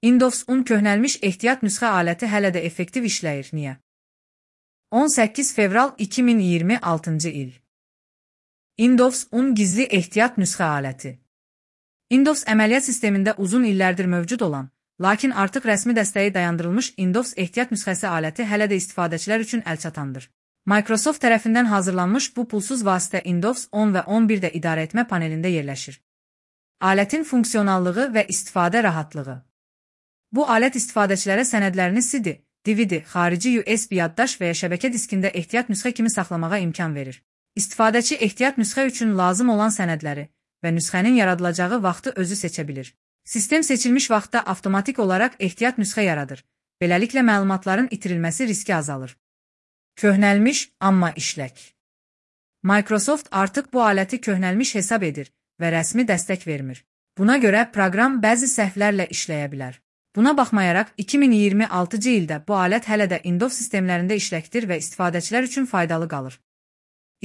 Windows 10 köhnəlmiş ehtiyat nüsxə aləti hələ də effektiv işləyir. Niyə? 18 fevral 2026 il. Windows 10 gizli ehtiyat nüsxə aləti. Windows əməliyyat sistemində uzun illərdir mövcud olan, lakin artıq rəsmi dəstəyi dayandırılmış Windows ehtiyat nüsxəsi aləti hələ də istifadəçilər üçün əlçatandır. Microsoft tərəfindən hazırlanmış bu pulsuz vasitə Windows 10 və 11-də idarəetmə panelində yerləşir. Alətin funksionallığı və istifadə rahatlığı. Bu alət istifadəçilərə sənədlərini CD, DVD, xarici USB yaddaş və ya şəbəkə diskində ehtiyat nüsxə kimi saxlamağa imkan verir. İstifadəçi ehtiyat nüsxə üçün lazım olan sənədləri və nüsxənin yaradılacağı vaxtı özü seçə bilir. Sistem seçilmiş vaxtda avtomatik olaraq ehtiyat nüsxə yaradır. Beləliklə məlumatların itirilməsi riski azalır. Köhnəlmiş, amma işlək. Microsoft artıq bu aləti köhnəlmiş hesab edir və rəsmi dəstək vermir. Buna görə proqram bəzi səhvlərlə işləyə bilər. Buna baxmayaraq, 2026-cı ildə bu alət hələ də Windows sistemlərində işləkdir və istifadəçilər üçün faydalı qalır.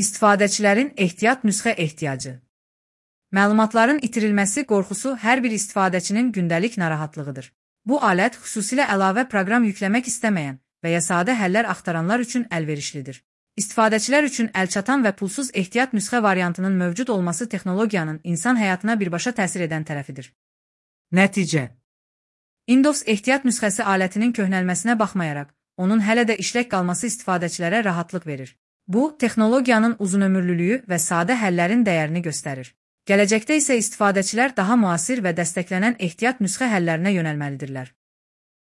İstifadəçilərin ehtiyat nüsxə ehtiyacı. Məlumatların itirilməsi qorxusu hər bir istifadəçinin gündəlik narahatlığıdır. Bu alət xüsusilə əlavə proqram yükləmək istəməyən və ya sadə həllər axtaranlar üçün əlverişlidir. İstifadəçilər üçün əlçatan və pulsuz ehtiyat nüsxə variantının mövcud olması texnologiyanın insan həyatına birbaşa təsir edən tərəfidir. Nəticə. Windows ehtiyat nüsxəsi alətinin köhnəlməsinə baxmayaraq, onun hələ də işlək qalması istifadəçilərə rahatlıq verir. Bu, texnologiyanın uzunömürlülüyü və sadə həllərin dəyərini göstərir. Gələcəkdə isə istifadəçilər daha müasir və dəstəklənən ehtiyat nüsxə həllərinə yönəlməlidirlər.